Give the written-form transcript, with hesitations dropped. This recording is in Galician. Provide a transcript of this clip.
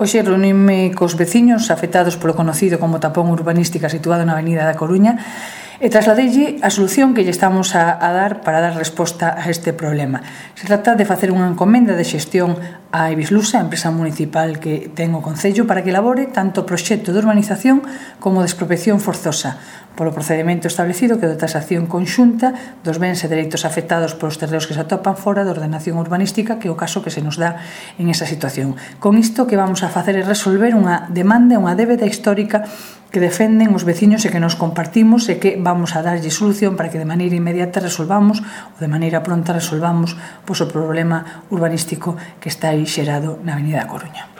Hoxe reunime cos veciños afectados polo conocido como tapón urbanística situado na Avenida da Coruña e trasladeille a solución que lle estamos a dar para dar resposta a este problema. Se trata de facer unha encomenda de xestión a Ibislusa, a empresa municipal que ten o Concello, para que elabore tanto o proxecto de urbanización como de expropiación forzosa, polo procedimento establecido que é de tasación conxunta dos bens e dereitos afectados polos terreos que se atopan fora da ordenación urbanística, que é o caso que se nos dá en esa situación. Con isto que vamos a facer é resolver unha demanda, unha débeda histórica que defenden os veciños e que nos compartimos e que vamos a darlle solución para que de maneira inmediata resolvamos ou de maneira pronta resolvamos o problema urbanístico que está aí xerado na Avenida da Coruña.